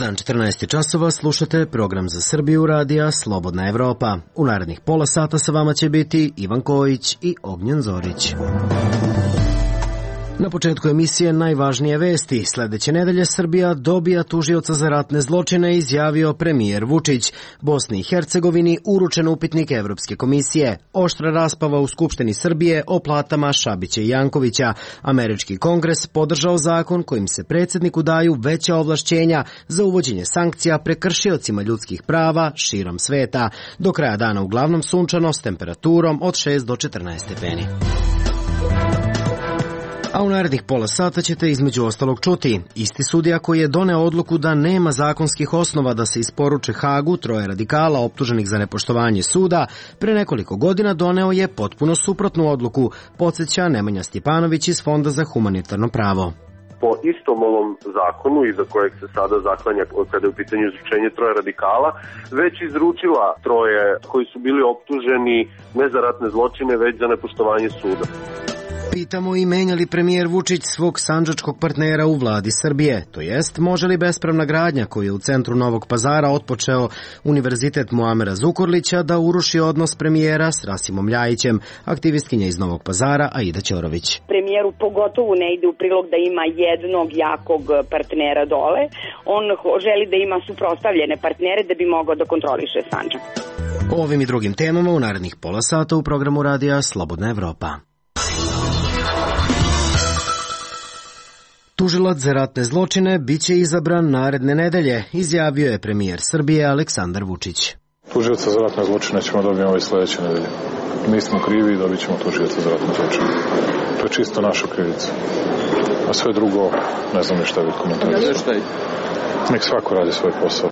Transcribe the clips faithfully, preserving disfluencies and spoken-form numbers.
dan, četrnaest časova, slušate program za Srbiju radija Slobodna Evropa. U narednih pola sata sa vama će biti Ivan Kojić i Ognjen Zorić. Na početku emisije najvažnije vesti. Sledeće nedelje Srbija dobija tužioca za ratne zločine, izjavio premijer Vučić. Bosni i Hercegovini uručen upitnik Evropske komisije. Oštra raspava u Skupštini Srbije o platama Šabića i Jankovića. Američki kongres podržao zakon kojim se predsjedniku daju veća ovlašćenja za uvođenje sankcija prekršiocima ljudskih prava širom sveta. Do kraja dana uglavnom sunčano s temperaturom od šest do četrnaest stepeni. A u narednih pola sata ćete između ostalog čuti. Isti sudija koji je doneo odluku da nema zakonskih osnova da se isporuče Hagu troje radikala optuženih za nepoštovanje suda, pre nekoliko godina doneo je potpuno suprotnu odluku, podsjeća Nemanja Stjepanović iz Fonda za humanitarno pravo. Po istom ovom zakonu, iza kojeg se sada zaklanja kada je u pitanju izručenje troje radikala, već izručila troje koji su bili optuženi ne za ratne zločine, već za nepoštovanje suda. Pitamo i menja li premijer Vučić svog sandžačkog partnera u vladi Srbije, to jest može li bespravna gradnja koju je u centru Novog Pazara otpočeo Univerzitet Muamera Zukorlića da uruši odnos premijera s Rasimom Ljajićem, aktivistkinja iz Novog Pazara Aida Ćorović. Premijeru pogotovo ne ide u prilog da ima jednog jakog partnera dole, on želi da ima suprotstavljene partnere da bi mogao da kontroliše Sandžak. O ovim i drugim temama u narednih pola sata u programu radija Slobodna Evropa. Tužilac za ratne zločine biće izabran naredne nedelje, izjavio je premijer Srbije Aleksandar Vučić. Tužioca za ratne zločine ćemo dobiti ove sledeće nedelje. Mi smo krivi i dobit ćemo tužioca za ratne zločine. To je čisto naša krivica. A sve drugo, ne znam ni šta bih komentarisao. Nek svako radi svoj posao.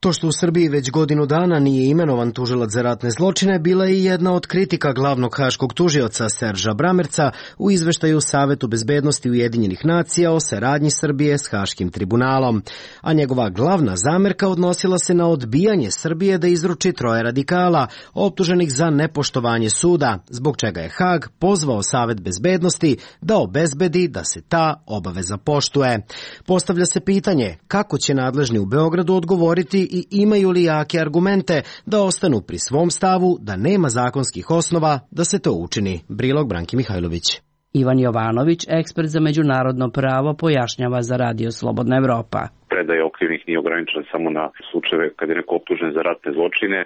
To što u Srbiji već godinu dana nije imenovan tužilac za ratne zločine bila je i jedna od kritika glavnog haškog tužioca Serža Bramerca u izveštaju Savetu bezbednosti Ujedinjenih nacija o saradnji Srbije s Haškim tribunalom. A njegova glavna zamerka odnosila se na odbijanje Srbije da izruči troje radikala optuženih za nepoštovanje suda, zbog čega je Hag pozvao Savet bezbednosti da obezbedi da se ta obaveza poštuje. Postavlja se pitanje kako će nadležni u Beogradu odgovoriti i imaju li jake argumente da ostanu pri svom stavu da nema zakonskih osnova da se to učini. Prilog Branki Mihajlović. Ivan Jovanović, ekspert za međunarodno pravo, pojašnjava za Radio Slobodna Evropa. Predaja okrivnih nije ograničena samo na slučajeve kad je neko optužen za ratne zločine.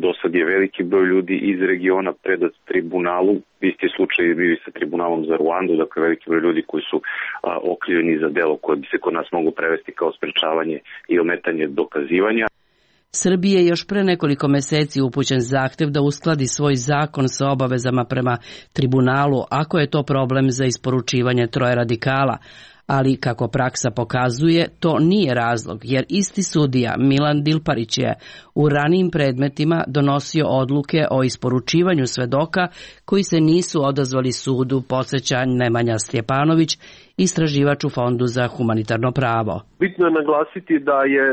Do sad je veliki broj ljudi iz regiona predat tribunalu. Isti slučaj je bio i sa tribunalom za Ruandu, dakle veliki broj ljudi koji su okrivljeni za delo koje bi se kod nas moglo prevesti kao sprečavanje i ometanje dokazivanja. Srbiji je još pre nekoliko meseci upućen zahtev da uskladi svoj zakon sa obavezama prema tribunalu, ako je to problem za isporučivanje troje radikala. Ali, kako praksa pokazuje, to nije razlog, jer isti sudija Milan Dilparić je u ranijim predmetima donosio odluke o isporučivanju svedoka koji se nisu odazvali sudu, podsjeća Nemanja Stjepanović, istraživač u Fondu za humanitarno pravo. Bitno je naglasiti da je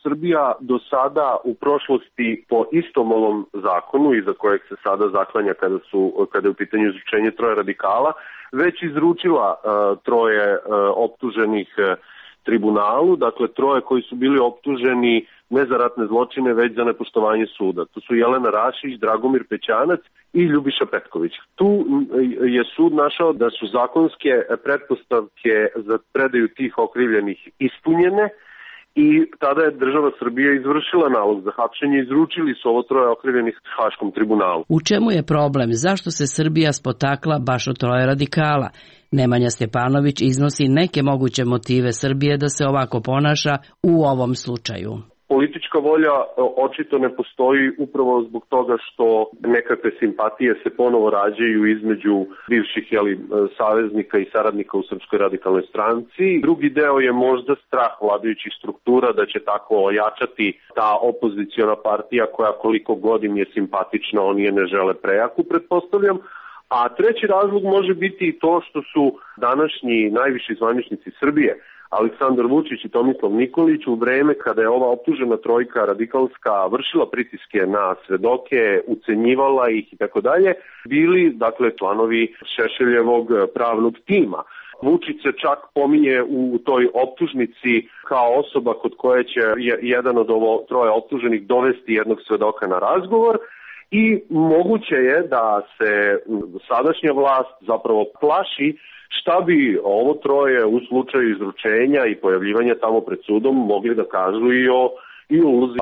Srbija do sada u prošlosti po istom ovom zakonu, iza kojeg se sada zaklanja kada, su, kada je u pitanju izručenje troje radikala, već izručila uh, troje uh, optuženih uh, tribunalu, dakle troje koji su bili optuženi ne za ratne zločine, već za nepoštovanje suda. To su Jelena Rašić, Dragomir Pećanac i Ljubiša Petković. Tu je sud našao da su zakonske pretpostavke za predaju tih okrivljenih ispunjene i tada je država Srbije izvršila nalog za hapšenje i izručili su ovo troje okrivljenih Haškom tribunalu. U čemu je problem? Zašto se Srbija spotakla baš od troje radikala? Nemanja Stjepanović iznosi neke moguće motive Srbije da se ovako ponaša u ovom slučaju. Politička volja očito ne postoji upravo zbog toga što nekakve simpatije se ponovo rađaju između bivših jeli, saveznika i saradnika u Srpskoj radikalnoj stranci. Drugi deo je možda strah vladajućih struktura da će tako ojačati ta opoziciona partija koja koliko god im je simpatična, oni je ne žele prejaku, pretpostavljam. A treći razlog može biti i to što su današnji najviši zvaničnici Srbije, Aleksandar Vučić i Tomislav Nikolić, u vreme kada je ova optužena trojka radikalska vršila pritiske na svedoke, ucenjivala ih i tako dalje, bili dakle članovi Šešeljevog pravnog tima. Vučić se čak pominje u toj optužnici kao osoba kod koje će jedan od ovo troje optuženih dovesti jednog svedoka na razgovor. I moguće je da se sadašnja vlast zapravo plaši šta bi ovo troje u slučaju izručenja i pojavljivanja tamo pred sudom mogli da kažu i o, i o ulozi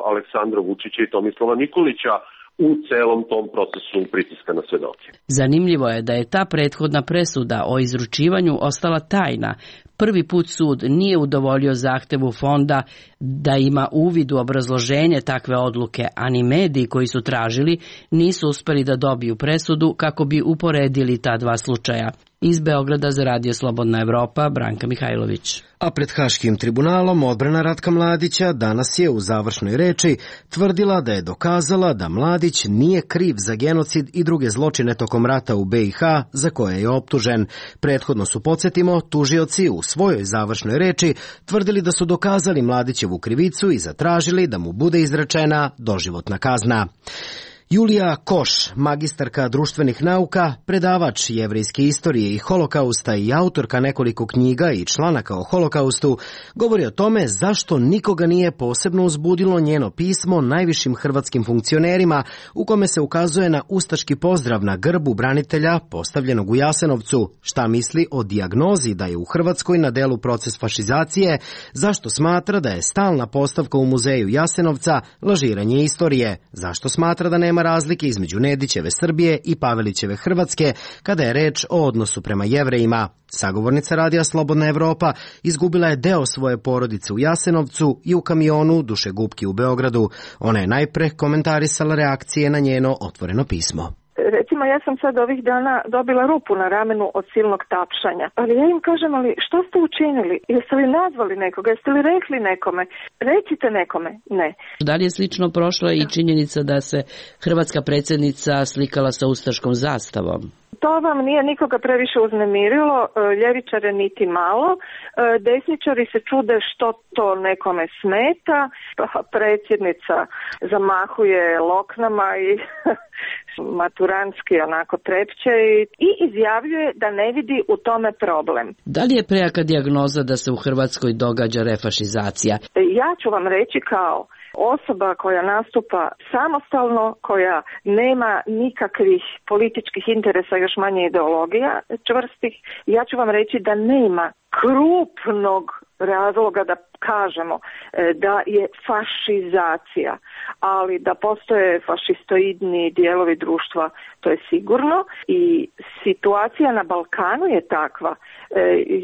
Aleksandra Vučića i Tomislava Nikolića u celom tom procesu pritiska na svedoke. Zanimljivo je da je ta prethodna presuda o izručivanju ostala tajna. Prvi put sud nije udovoljio zahtevu fonda da ima uvid u obrazloženje takve odluke, a ni mediji koji su tražili nisu uspeli da dobiju presudu kako bi uporedili ta dva slučaja. Iz Beograda za Radio Slobodna Evropa, Branka Mihajlović. A pred Haškim tribunalom odbrana Ratka Mladića danas je u završnoj reči tvrdila da je dokazala da Mladić nije kriv za genocid i druge zločine tokom rata u be i ha za koje je optužen. Prethodno su, podsjetimo, tužioci u svojoj završnoj reči tvrdili da su dokazali Mladićevu krivicu i zatražili da mu bude izrečena doživotna kazna. Julija Koš, magistarka društvenih nauka, predavač jevrejske istorije i holokausta i autorka nekoliko knjiga i članaka o holokaustu, govori o tome zašto nikoga nije posebno uzbudilo njeno pismo najvišim hrvatskim funkcionerima u kome se ukazuje na ustaški pozdrav na grbu branitelja postavljenog u Jasenovcu, šta misli o dijagnozi da je u Hrvatskoj na delu proces fašizacije, zašto smatra da je stalna postavka u muzeju Jasenovca lažiranje istorije, zašto smatra da nema razlike između Nedićeve Srbije i Pavelićeve Hrvatske kada je reč o odnosu prema Jevrejima. Sagovornica Radija Slobodna Evropa izgubila je deo svoje porodice u Jasenovcu i u kamionu dušegupki u Beogradu. Ona je najpre komentarisala reakcije na njeno otvoreno pismo. Recimo, ja sam sad ovih dana dobila rupu na ramenu od silnog tapšanja. Ali ja im kažem, ali što ste učinili? Jeste li nazvali nekoga? Jeste li rekli nekome? Recite nekome. Ne. Da li je slično prošla i činjenica da se hrvatska predsjednica slikala sa ustaškom zastavom? To vam nije nikoga previše uznemirilo, ljevičare niti malo, desničari se čude što to nekome smeta, predsjednica zamahuje loknama i maturanski onako trepće i izjavljuje da ne vidi u tome problem. Da li je prejaka dijagnoza da se u Hrvatskoj događa refašizacija? Ja ću vam reći kao osoba koja nastupa samostalno, koja nema nikakvih političkih interesa, još manje ideologija čvrstih, ja ću vam reći da nema krupnog razloga da kažemo da je fašizacija, ali da postoje fašistoidni dijelovi društva, to je sigurno, i situacija na Balkanu je takva.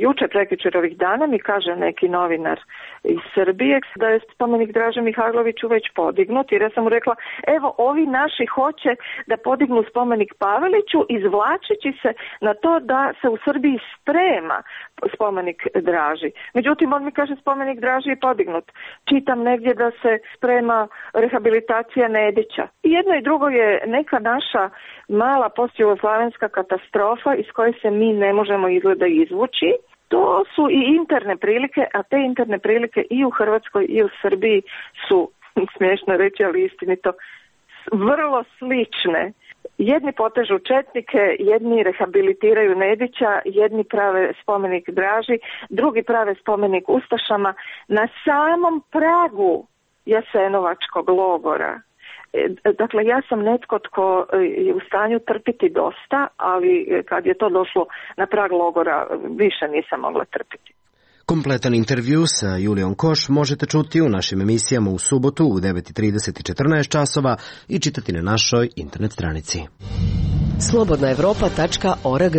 Juče, prekjučer ovih dana mi kaže neki novinar iz Srbije da je spomenik Draže Mihajloviću već podignut, jer ja sam mu rekla, evo ovi naši hoće da podignu spomenik Paveliću izvlačeći se na to da se u Srbiji sprema spomenik Draži. Međutim, on mi kaže spomenik Draži je podignut. Čitam negdje da se sprema rehabilitacija Nedića. I jedno i drugo je neka naša mala postjugoslavenska katastrofa iz koje se mi ne možemo izgleda izvući. To su i interne prilike, a te interne prilike i u Hrvatskoj i u Srbiji su, smiješno reći, ali istinito, vrlo slične. Jedni potežu četnike, jedni rehabilitiraju Nedića, jedni prave spomenik Draži, drugi prave spomenik ustašama na samom pragu Jasenovačkog logora. Dakle, ja sam netko tko je u stanju trpiti dosta, ali kad je to došlo na prag logora, više nisam mogla trpiti. Kompletan intervju sa Julijom Koš možete čuti u našim emisijama u subotu u devet i trideset i četrnaest časova i čitati na našoj internet stranici. slobodna evropa tačka org.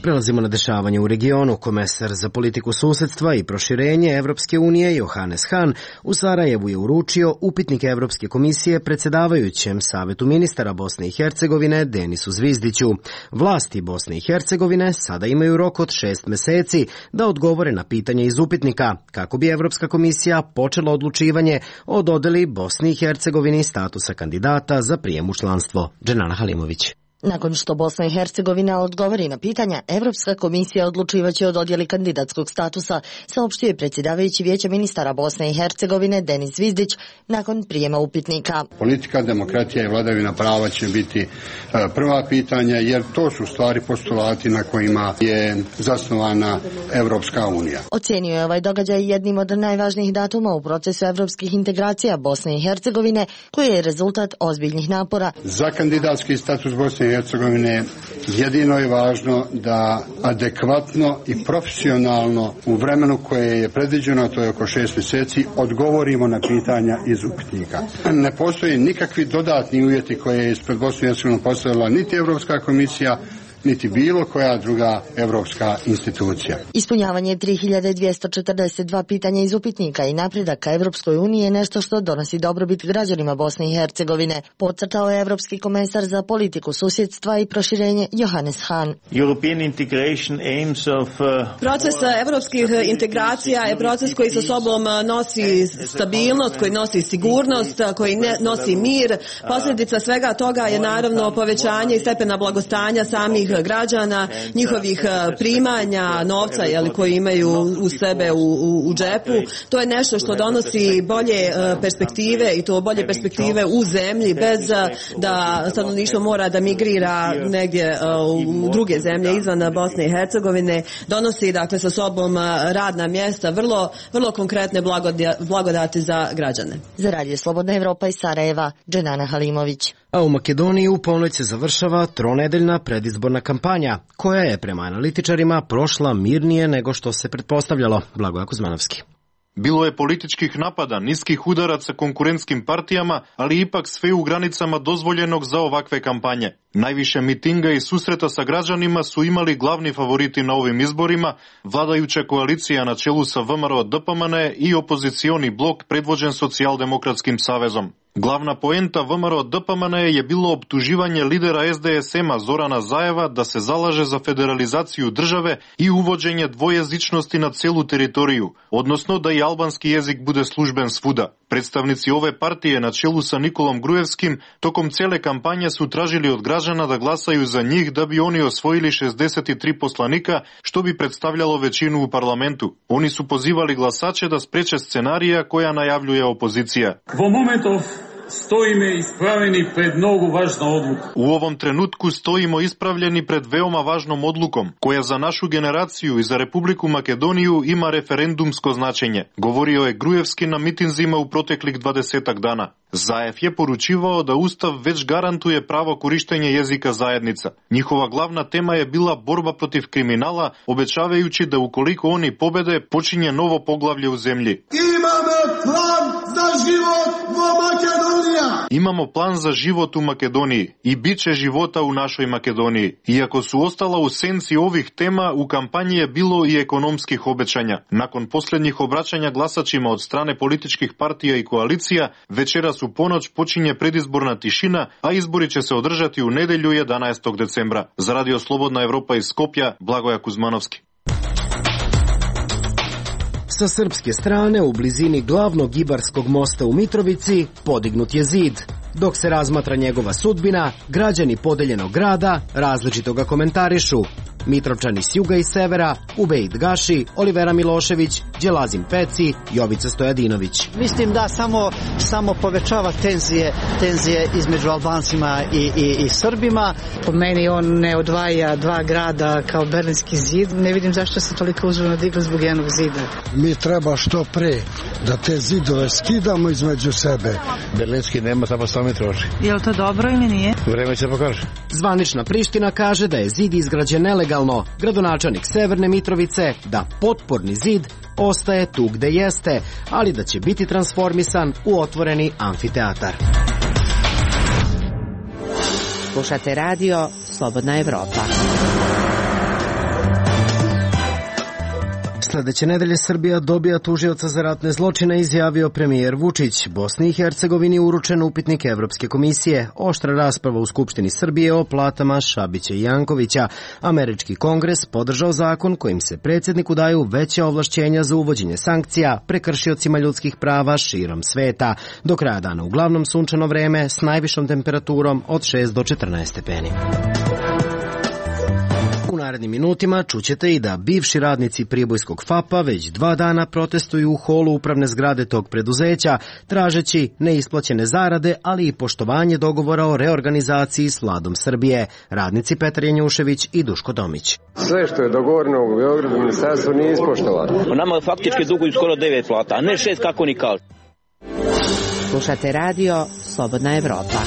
Prelazimo na dešavanje u regionu. Komesar za politiku susedstva i proširenje Evropske unije Johannes Hahn u Sarajevu je uručio upitnik Evropske komisije predsjedavajućem Savetu ministara Bosne i Hercegovine Denisu Zvizdiću. Vlasti Bosne i Hercegovine sada imaju rok od šest meseci da odgovore na pitanje iz upitnika, kako bi Evropska komisija počela odlučivanje o dodeli Bosni i Hercegovini statusa kandidata za prijem u članstvo. Dženana Halimović. Nakon što Bosna i Hercegovina odgovori na pitanja, Evropska komisija odlučivaće o dodjeli kandidatskog statusa, saopštio je predsjedavajući Vijeća ministara Bosne i Hercegovine Denis Zvizdić nakon prijema upitnika. Politika, demokratija i vladavina prava će biti prva pitanja, jer to su stvari postulati na kojima je zasnovana Evropska unija. Ocijenio je ovaj događaj jednim od najvažnijih datuma u procesu evropskih integracija Bosne i Hercegovine, koji je rezultat ozbiljnih napora. Za kandidatski status Bosne i Hercegovine jedino je važno da adekvatno i profesionalno u vremenu koje je predviđeno, a to je oko šest mjeseci, odgovorimo na pitanja iz upitnika. Ne postoje nikakvi dodatni uvjeti koje je ispred Bosne i Hercegovine postavila niti Evropska komisija, niti bilo koja druga evropska institucija. Ispunjavanje tri hiljade dvjesto četrdeset dva pitanja iz upitnika i napredak ka Evropskoj uniji je nešto što donosi dobrobit građanima Bosne i Hercegovine, podcrtao je Evropski komesar za politiku susjedstva i proširenje Johannes Hahn. Proces evropskih integracija je proces koji sa sobom nosi stabilnost, koji nosi sigurnost, koji nosi mir. Posljedica svega toga je naravno povećanje i stepena blagostanja samih građana, njihovih primanja, novca jeli, koji imaju u sebe u, u, u džepu. To je nešto što donosi bolje perspektive i to bolje perspektive u zemlji bez da stanovništvo mora da migrira negdje u druge zemlje izvan Bosne i Hercegovine. Donosi dakle sa sobom radna mjesta, vrlo, vrlo konkretne blagodati za građane. Za Radio Slobodna Evropa iz Sarajeva, Dženana Halimović. A u Makedoniji u ponoć se završava tronedeljna predizborna kampanja, koja je prema analitičarima prošla mirnije nego što se pretpostavljalo. Blagoje Kuzmanovski. Bilo je političkih napada, niskih udaraca konkurentskim partijama, ali ipak sve u granicama dozvoljenog za ovakve kampanje. Najviše mitinga i susreta sa građanima su imali glavni favoriti na ovim izborima, vladajuća koalicija na čelu sa V M R O D P M N i opozicioni blok predvođen Socijaldemokratskim savezom. Glavna poenta V M R O D P M N je bilo optuživanje lidera S D S M-a Zorana Zajeva da se zalaže za federalizaciju države i uvođenje dvojezičnosti na celu teritoriju, odnosno da i albanski jezik bude služben svuda. Predstavnici ove partije na čelu sa Nikolom Grujevskim tokom cijele kampanje su tražili od građana da glasaju za njih da bi oni osvojili šezdeset tri poslanika, što bi predstavljalo većinu u parlamentu. Oni su pozivali glasače da spreče scenarija koja najavljuje opozicija. Stojime ispravljeni pred mnogo važna odluka. U ovom trenutku stojimo ispravljeni pred veoma važnom odlukom, koja za našu generaciju i za Republiku Makedoniju ima referendumsko značenje, govorio je Grujevski na mitinzima u proteklih dvadesetak dana. Zajev je poručivao da Ustav već garantuje pravo korištenja jezika zajednica. Njihova glavna tema je bila borba protiv kriminala, obećavajući da ukoliko oni pobede, počinje novo poglavlje u zemlji. Imamo plan za život u Makedoniji. Imamo plan za život u Makedoniji i bit će života u našoj Makedoniji. Iako su ostala u senci ovih tema, u kampanji je bilo i ekonomskih obećanja. Nakon posljednjih obraćanja glasačima od strane političkih partija i koalicija, večeras u ponoć počinje predizborna tišina, a izbori će se održati u nedjelju jedanaestog decembra. Za Radio Slobodna Evropa iz Skopja, Blagoje Kuzmanovski. Sa srpske strane, u blizini glavnog Ibarskog mosta u Mitrovici, podignut je zid. Dok se razmatra njegova sudbina, građani podeljenog grada različito ga komentarišu. Mitrovčani s juga i severa, Ubejt Gaši, Olivera Milošević, Đelazim Peci, Jovica Stojadinović. Mislim da samo, samo povećava tenzije, tenzije između Albancima i, i, i Srbima. Po meni on ne odvaja dva grada kao Berlinski zid. Ne vidim zašto se toliko uzvrno digli zbog jednog zida. Mi treba što pre da te zidove skidamo između sebe. Berlinski nema, samo sto metroši. Je li to dobro ili nije? Vreme će pokaže. Zvanična Priština kaže da je zid izgrađen nelegalno. Gradonačelnik Severne Mitrovice da potporni zid ostaje tu gde jeste, ali da će biti transformisan u otvoreni amfiteatar. Slušate radio Slobodna Evropa. Sledeće nedelje Srbija dobija tužioca za ratne zločine, izjavio premijer Vučić. Bosni i Hercegovini uručen upitnik Evropske komisije. Oštra rasprava u Skupštini Srbije o platama Šabića i Jankovića. Američki kongres podržao zakon kojim se predsjedniku daju veća ovlašćenja za uvođenje sankcija prekršiocima ljudskih prava širom sveta. Do kraja dana uglavnom sunčano vreme s najvišom temperaturom od šest do četrnaest stepeni. U narednim minutima čućete i da bivši radnici pribojskog F A P-a već dva dana protestuju u holu upravne zgrade tog preduzeća, tražeći neisplaćene zarade, ali i poštovanje dogovora o reorganizaciji s vladom Srbije. Radnici Petar Janjušević i Duško Domić. Sve što je dogovoreno u Beogradu ministarstvo nije ispoštovano. Nama faktički duguju skoro devet plata, a ne šest kako ni kažu. Slušate radio Slobodna Evropa.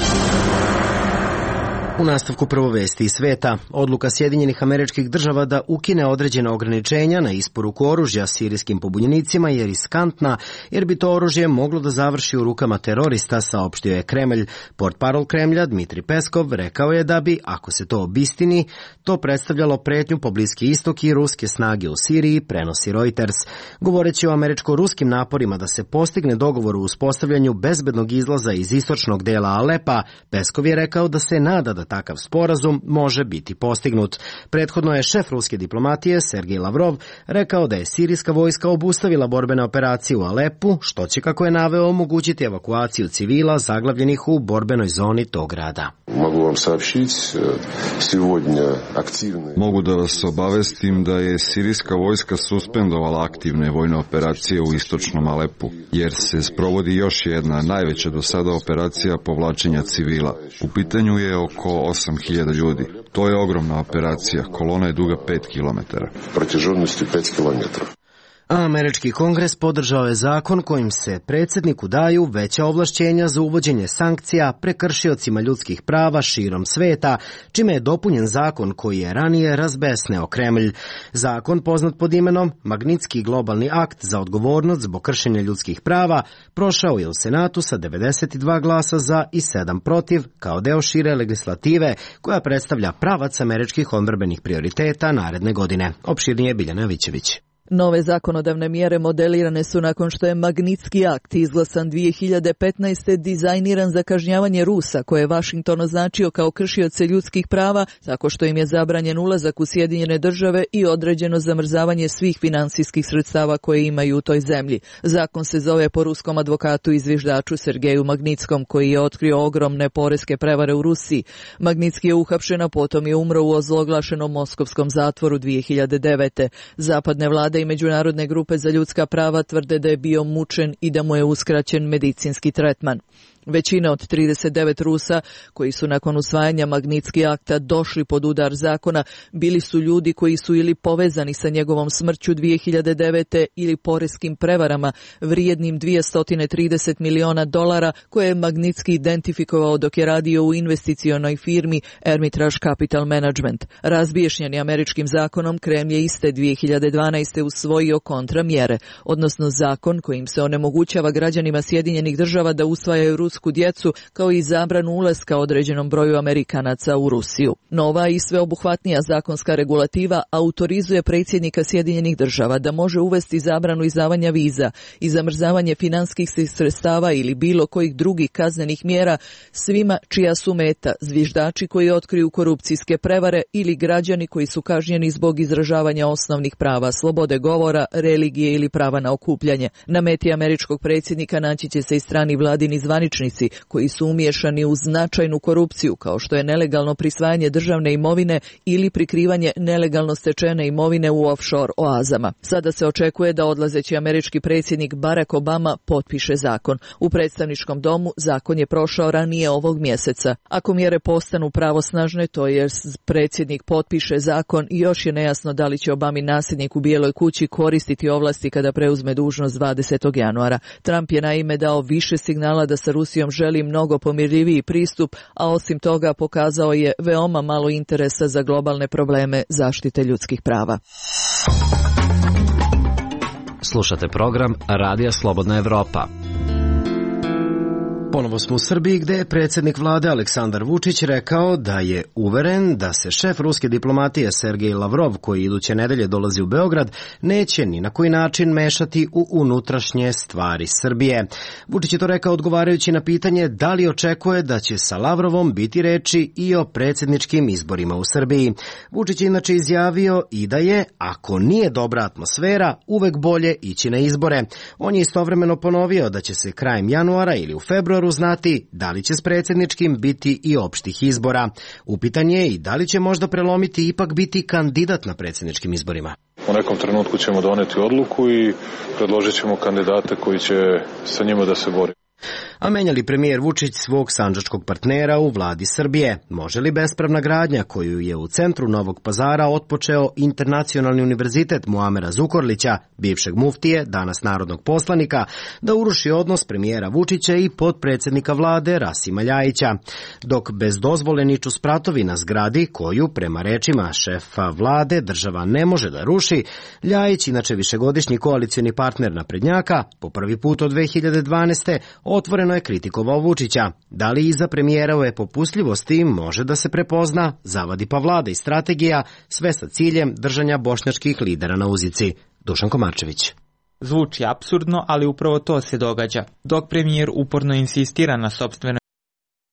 U nastavku prvo vesti iz sveta. Odluka Sjedinjenih Američkih Država da ukine određena ograničenja na isporuku oružja sirijskim pobunjenicima je riskantna, jer bi to oružje moglo da završi u rukama terorista, saopštio je Kremlj. Portparol Kremlja Dmitri Peskov rekao je da bi, ako se to obistini, to predstavljalo pretnju po Bliski istok i ruske snage u Siriji, prenosi Reuters. Govoreći o američko-ruskim naporima da se postigne dogovor u uspostavljanju bezbednog izlaza iz istočnog dela Alepa, Peskov je rekao da se nada da takav sporazum može biti postignut. Prethodno je šef ruske diplomatije Sergej Lavrov rekao da je sirijska vojska obustavila borbene operacije u Alepu, što će, kako je naveo, omogućiti evakuaciju civila zaglavljenih u borbenoj zoni tog grada. Mogu vam saopštiti, сегодня aktivne... Mogu da vas obavestim da je sirijska vojska suspendovala aktivne vojne operacije u istočnom Alepu, jer se sprovodi još jedna najveća do sada operacija povlačenja civila. U pitanju je oko osam hiljada ljudi. To je ogromna operacija. Kolona je duga pet kilometara. Протяженностью pet kilometara. A američki kongres podržao je zakon kojim se predsjedniku daju veća ovlašćenja za uvođenje sankcija prekršiocima ljudskih prava širom sveta, čime je dopunjen zakon koji je ranije razbesneo Kremlj. Zakon, poznat pod imenom Magnitski globalni akt za odgovornost zbog kršenja ljudskih prava, prošao je u Senatu sa devedeset dva glasa za i sedam protiv, kao deo šire legislative koja predstavlja pravac američkih odbrambenih prioriteta naredne godine. Opširnije Biljana Jovićević. Nove zakonodavne mjere modelirane su nakon što je Magnitski akt izglasan dvije hiljade petnaeste. dizajniran za kažnjavanje Rusa, koje je Vašington označio kao kršioce ljudskih prava, tako što im je zabranjen ulazak u Sjedinjene države i određeno zamrzavanje svih finansijskih sredstava koje imaju u toj zemlji. Zakon se zove po ruskom advokatu i zviždaču Sergeju Magnitskom, koji je otkrio ogromne poreske prevare u Rusiji. Magnitski je uhapšen, a potom je umro u ozloglašenom moskovskom zatvoru dvije hiljade devete. Zapadne vlade i međunarodne grupe za ljudska prava tvrde da je bio mučen i da mu je uskraćen medicinski tretman. Većina od trideset devet Rusa koji su nakon usvajanja Magnitski akta došli pod udar zakona bili su ljudi koji su ili povezani sa njegovom smrću dvije hiljade devete. ili poreskim prevarama vrijednim dvjesto trideset miliona dolara koje je Magnitski identifikovao dok je radio u investicionoj firmi Hermitage Capital Management. Razbiješnjeni američkim zakonom, Kremlj je iste dvije hiljade dvanaeste. usvojio kontramjere, odnosno zakon kojim se onemogućava građanima Sjedinjenih država da usvajaju rusku djecu, kao i zabranu ulaska određenom broju Amerikanaca u Rusiju. Nova i sveobuhvatnija zakonska regulativa autorizuje predsjednika Sjedinjenih država da može uvesti zabranu izdavanja viza i zamrzavanje finanskih sredstava ili bilo kojih drugih kaznenih mjera svima čija su meta zviždači koji otkriju korupcijske prevare ili građani koji su kažnjeni zbog izražavanja osnovnih prava, slobode govora, religije ili prava na okupljanje. Na meti američkog predsjednika naći će se i strani vladini zvaničnici koji su umiješani u značajnu korupciju, kao što je nelegalno prisvajanje državne imovine ili prikrivanje nelegalno stečene imovine u offshore oazama. Sada se očekuje da odlazeći američki predsjednik Barack Obama potpiše zakon. U predstavničkom domu zakon je prošao ranije ovog mjeseca. Ako mjere postanu pravosnažne, to je predsjednik potpiše zakon i još je nejasno da li će Obami nasljednik u Bijeloj kući koristiti ovlasti kada preuzme dužnost dvadesetog januara. Trump je naime dao više signala da sa Rusijom želi mnogo pomirljiviji pristup, a osim toga pokazao je veoma malo interesa za globalne probleme zaštite ljudskih prava. Slušate program Radija Slobodna Evropa. Ponovo smo u Srbiji gde je predsjednik vlade Aleksandar Vučić rekao da je uveren da se šef ruske diplomatije Sergej Lavrov, koji iduće nedelje dolazi u Beograd, neće ni na koji način mešati u unutrašnje stvari Srbije. Vučić je to rekao odgovarajući na pitanje da li očekuje da će sa Lavrovom biti reči i o predsjedničkim izborima u Srbiji. Vučić je inače izjavio i da je, ako nije dobra atmosfera, uvek bolje ići na izbore. On je istovremeno ponovio da će se krajem januara ili u februaru znati da li će s predsjedničkim biti i opštih izbora. Upitan je i da li će možda prelomiti ipak biti kandidat na predsjedničkim izborima. U nekom trenutku ćemo doneti odluku i predložit ćemo kandidate koji će sa njima da se bori. A menja li premijer Vučić svog sandžačkog partnera u vladi Srbije? Može li bespravna gradnja koju je u centru Novog Pazara otpočeo Internacionalni univerzitet Muamera Zukorlića, bivšeg muftije, danas narodnog poslanika, da uruši odnos premijera Vučića i potpredsjednika vlade Rasima Ljajića? Dok bez dozvole niču spratovi na zgradi koju, prema rečima šefa vlade, država ne može da ruši, Ljajić, inače višegodišnji koalicioni partner naprednjaka, po prvi put od dve hiljade dvanaeste. otvoreno je kritikovao Vučića. Da li iza premijerove popustljivosti može da se prepozna, zavadi pa vlada i strategija, sve sa ciljem držanja bošnjačkih lidera na uzici? Dušan Komarčević. Zvuči apsurdno, ali upravo to se događa. Dok premijer uporno insistira na sopstvenoj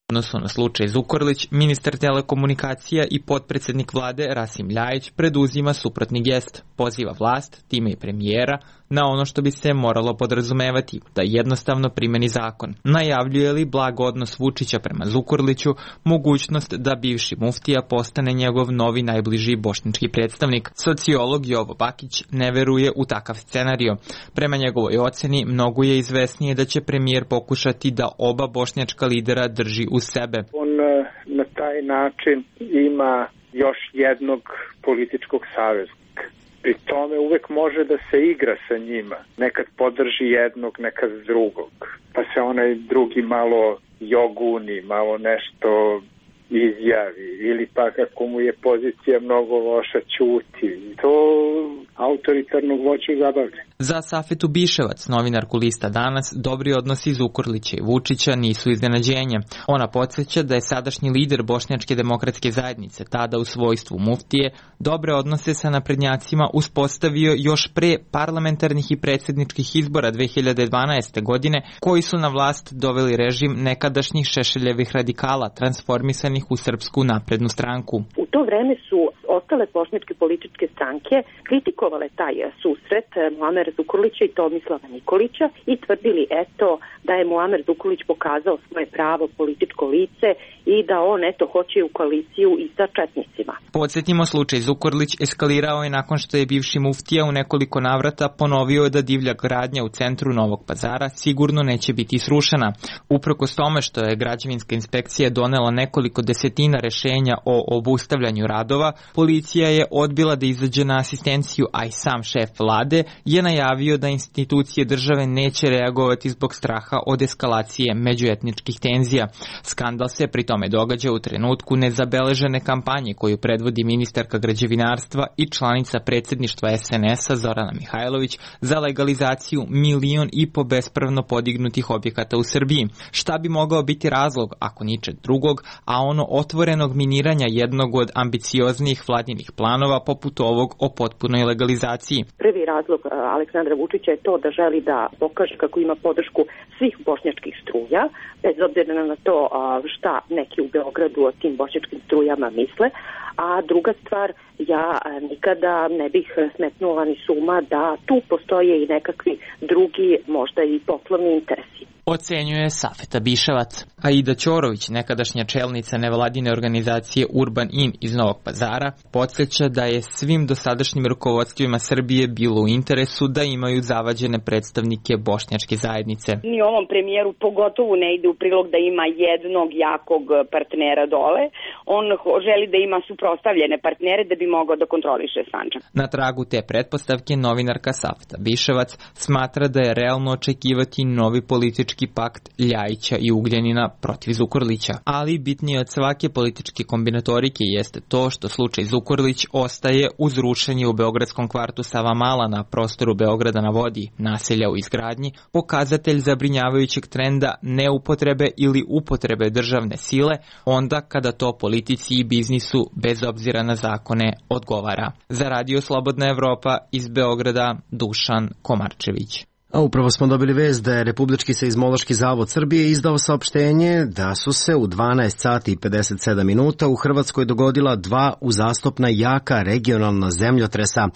odnosu na slučaj Zukorlić, ministar telekomunikacija i potpredsjednik vlade Rasim Ljajić preduzima suprotni gest. Poziva vlast, time i premijera, na ono što bi se moralo podrazumevati, da jednostavno primeni zakon. Najavljuje li blag odnos Vučića prema Zukorliću, mogućnost da bivši muftija postane njegov novi najbliži bošnjački predstavnik. Sociolog Jovo Bakić ne veruje u takav scenario. Prema njegovoj oceni, mnogo je izvesnije da će premijer pokušati da oba bošnjačka lidera drži u sebe. On na taj način ima još jednog političkog saveznika. Pri tome uvek može da se igra sa njima. Nekad podrži jednog, nekad drugog. Pa se onaj drugi malo joguni, malo nešto izjavi. Ili pa kako mu je pozicija mnogo loša, ćuti. To autoritarnog voću zabavlja. Za Safetu Biševac, novinarku lista Danas, dobri odnosi Zukorlića i Vučića nisu iznenađenje. Ona podsjeća da je sadašnji lider Bošnjačke demokratske zajednice, tada u svojstvu muftije, dobre odnose sa naprednjacima uspostavio još pre parlamentarnih i predsjedničkih izbora dve hiljade dvanaeste. godine, koji su na vlast doveli režim nekadašnjih Šešeljevih radikala, transformisanih u Srpsku naprednu stranku. U to vreme su ostale bošnjačke političke stranke kritikovale taj susret Muamera Zukorlića i Tomislava Nikolića i tvrdili eto da je Muamer Zukorlić pokazao svoje pravo političko lice i da on eto hoće u koaliciju i sa četnicima. Podsjetimo, slučaj Zukorlić eskalirao je nakon što je bivši muftija u nekoliko navrata ponovio da divlja gradnja u centru Novog Pazara sigurno neće biti srušena. Uprkos tome što je građevinska inspekcija donela nekoliko desetina rešenja o obustavljanju radova, policija je odbila da izađe na asistenciju, a i sam šef vlade je najavio da institucije države neće reagovati zbog straha od eskalacije međuetničkih tenzija. Skandal se pri tome događa u trenutku nezabeležene kampanje koju predvodi ministarka građevinarstva i članica predsjedništva es en es a Zorana Mihajlović za legalizaciju milion i po bespravno podignutih objekata u Srbiji. Šta bi mogao biti razlog, ako ničeg drugog, a ono otvorenog miniranja jednog od ambicioznijih vladinih planova poput ovog o potpunoj legalizaciji? Prvi razlog Aleksandra Vučića je to da želi da pokaže kako ima podršku svih bošnjačkih struja, bez obzira na to šta neki u Beogradu o tim bošnjačkim strujama misle. A druga stvar, ja nikada ne bih smetnula ni suma da tu postoje i nekakvi drugi, možda i poslovni interesi. Ocenjuje Safeta Biševac. Aida Ćorović, nekadašnja čelnica nevladine organizacije Urban In iz Novog Pazara, podsjeća da je svim dosadašnjim rukovodstvima Srbije bilo u interesu da imaju zavađene predstavnike bošnjačke zajednice. Ni ovom premijeru pogotovo ne ide u prilog da ima jednog jakog partnera dole. On želi da ima suprotstavljene partnere da bi mogao da kontroliše Sandžak. Na tragu te pretpostavke novinarka Safeta Biševac smatra da je realno očekivati novi politički politički pakt Ljajića i Ugljanina protiv Zukorlića. Ali bitnije od svake političke kombinatorike jeste to što slučaj Zukorlić ostaje uz rušenje u beogradskom kvartu Savamala na prostoru Beograda na vodi, naselja u izgradnji, pokazatelj zabrinjavajućeg trenda neupotrebe ili upotrebe državne sile onda kada to politici i biznisu bez obzira na zakone odgovara. Za Radio Slobodna Evropa iz Beograda, Dušan Komarčević. A upravo smo dobili vest da je Republički seizmološki zavod Srbije izdao saopštenje da su se u dvanaest sati i pedeset sedam minuta u Hrvatskoj dogodila dva uzastopna jaka regionalna zemljotresa.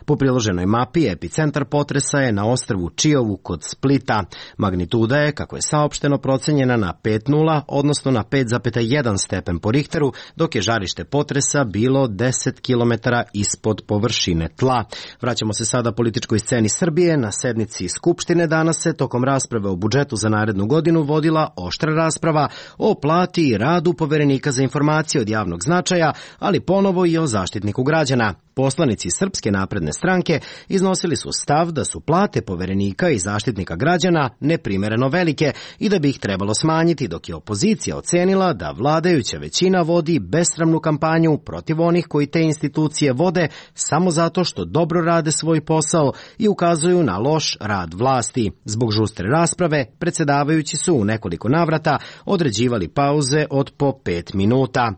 Po priloženoj mapi epicentar potresa je na ostrvu Čiovu kod Splita. Magnituda je, kako je saopšteno, procenjena na pet zarez nula, odnosno na pet zarez jedan stepen po Richteru, dok je žarište potresa bilo deset kilometara ispod površine tla. Vraćamo se sada političkoj sceni Srbije. Na sednici Skupštine danas se tokom rasprave o budžetu za narednu godinu vodila oštra rasprava o plati i radu Poverenika za informacije od javnog značaja, ali ponovo i o Zaštitniku građana. Poslanici Srpske napredne stranke iznosili su stav da su plate Poverenika i Zaštitnika građana neprimereno velike i da bi ih trebalo smanjiti, dok je opozicija ocenila da vladajuća većina vodi besramnu kampanju protiv onih koji te institucije vode samo zato što dobro rade svoj posao i ukazuju na loš rad vlasti. Zbog žustre rasprave, predsjedavajući su u nekoliko navrata određivali pauze od po pet minuta.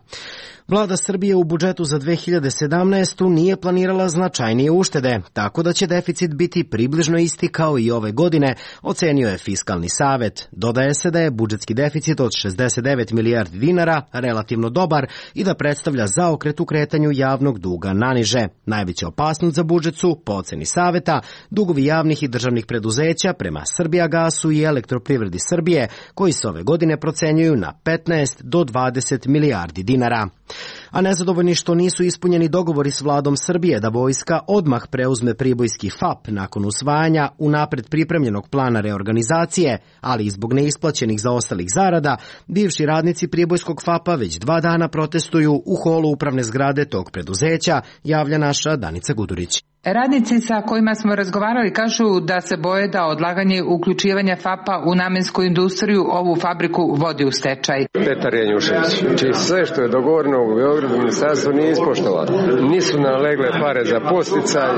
Vlada Srbije u budžetu za dve hiljade sedamnaestu. nije planirala značajnije uštede, tako da će deficit biti približno isti kao i ove godine, ocenio je Fiskalni savet. Dodaje se da je budžetski deficit od šezdeset devet milijardi dinara relativno dobar i da predstavlja zaokret u kretanju javnog duga naniže. Najveća opasnost za budžet su, po oceni saveta, dugovi javnih i državnih preduzeća prema Srbijagasu i Elektroprivredi Srbije, koji se ove godine procenjuju na petnaest do dvadeset milijardi dinara. A nezadovoljni što nisu ispunjeni dogovori s vladom Srbije da vojska odmah preuzme pribojski F A P nakon usvajanja unapred pripremljenog plana reorganizacije, ali i zbog neisplaćenih zaostalih zarada, bivši radnici pribojskog F A P-a već dva dana protestuju u holu upravne zgrade tog preduzeća, javlja naša Danica Gudurić. Radnici sa kojima smo razgovarali kažu da se boje da odlaganje uključivanja F A P-a u namensku industriju ovu fabriku vodi u stečaj. Petar Janjušević, čiji sve što je dogovoreno u Beogradu ministarstvo nije ispoštovano. Nisu nalegle pare za posticaj,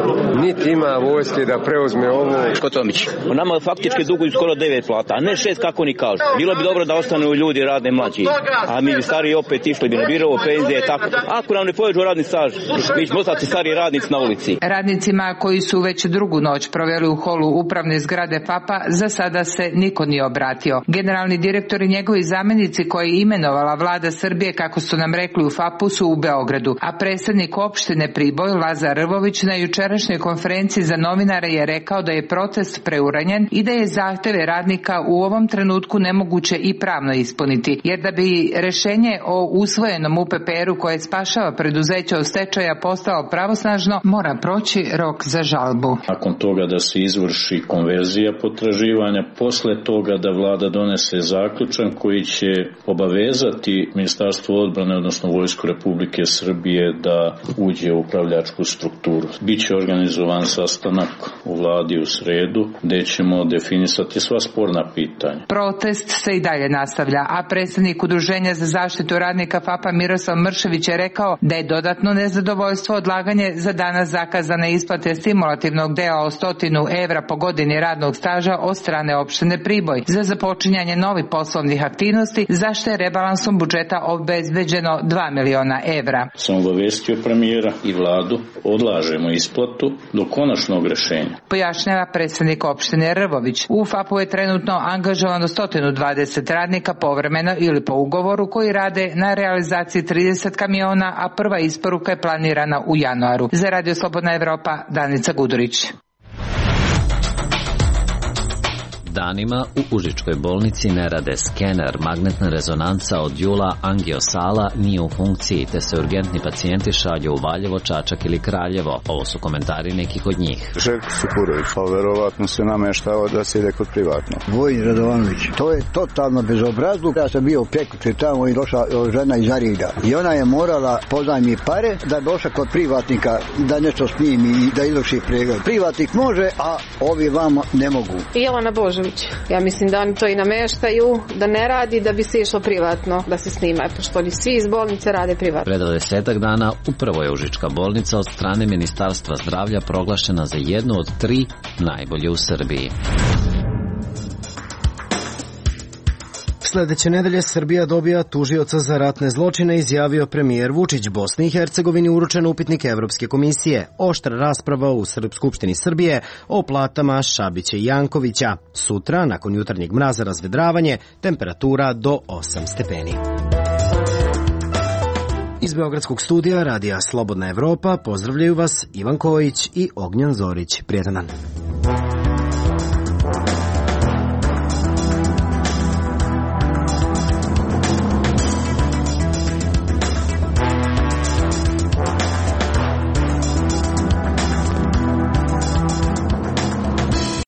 niti ima vojske da preuzme ovu. Škotomić, nama faktički duguju skoro devet plata, a ne šest kako ni kažu. Bilo bi dobro da ostanu ljudi radne mlađi, a mi bi stari opet išli bi na birovo, penzije, tako. Ako nam ne povežu radni staž, mi ćemo ostati stari radnici na ulici. Radnicima koji su već drugu noć proveli u holu upravne zgrade F A P-a za sada se niko nije obratio. Generalni direktor i njegovi zamenici koji je imenovala vlada Srbije, kako su nam rekli u F A P-u, su u Beogradu, a predsednik opštine Priboj Lazar Rvović na jučerašnjoj konferenciji za novinare je rekao da je protest preuranjen i da je zahteve radnika u ovom trenutku nemoguće i pravno ispuniti, jer da bi rešenje o usvojenom U P P R-u koje spašava preduzeće od stečaja postalo pravosnažno, mora proći rok za žalbu. Nakon toga da se izvrši konverzija potraživanja, posle toga da vlada donese zaključak koji će obavezati Ministarstvo odbrane, odnosno Vojsku Republike Srbije da uđe u upravljačku strukturu. Biće organizovan sastanak u vladi u sredu gde ćemo definisati sva sporna pitanja. Protest se i dalje nastavlja, a predsednik Udruženja za zaštitu radnika F A P-a Miroslav Mršević je rekao da je dodatno nezadovoljstvo odlaganje za danas zakazane isplate stimulativnog dela od stotinu evra po godini radnog staža od strane opštine Priboj za započinjanje novih poslovnih aktivnosti, za što je rebalansom budžeta obezbeđeno dva miliona evra. Sam obavestio premijera i vladu, odlažemo isplatu do konačnog rešenja. Pojašnjava predsednik opštine Rvović. U F A P-u je trenutno angažovano sto dvadeset radnika povremeno ili po ugovoru koji rade na realizaciji trideset kamiona, a prva isporuka je planirana u januaru. Za Radio Slobodna Evropa, Danica Gudurić. Danima u Užičkoj bolnici ne rade skener, magnetna rezonanca od jula, angiosala nije u funkciji, te se urgentni pacijenti šalju u Valjevo, Čačak ili Kraljevo. Ovo su komentari nekih od njih. Željko Supurović, pa verovatno se nameštao da se ide kod privatno. Vojin Radovanović, to je totalno bezobrazluk. Ja sam bio prekjuče tamo i došla žena iz Arida i ona je morala pozajmi pare da je došla kod privatnika da nešto snimi i da izvrši pregled. Privatnik može, a ovi vama ne mogu. Jelena Božović. Knežević. Ja mislim da oni to i nameštaju, da ne radi, da bi se išlo privatno da se snima, pošto oni svi iz bolnice rade privatno. Pre dvadesetak dana upravo je Užička bolnica od strane Ministarstva zdravlja proglašena za jednu od tri najbolje u Srbiji. Sledeće nedelje Srbija dobija tužioca za ratne zločine, izjavio premijer Vučić. Bosni i Hercegovini uručen upitnik Evropske komisije. Oštra rasprava u Skupštini Srbije o platama Šabića i Jankovića. Sutra, nakon jutarnjeg mraza, razvedravanje, temperatura do osam stepeni. Iz Beogradskog studija Radija Slobodna Evropa pozdravljaju vas Ivan Kojić i Ognjan Zorić. Prijetan dan.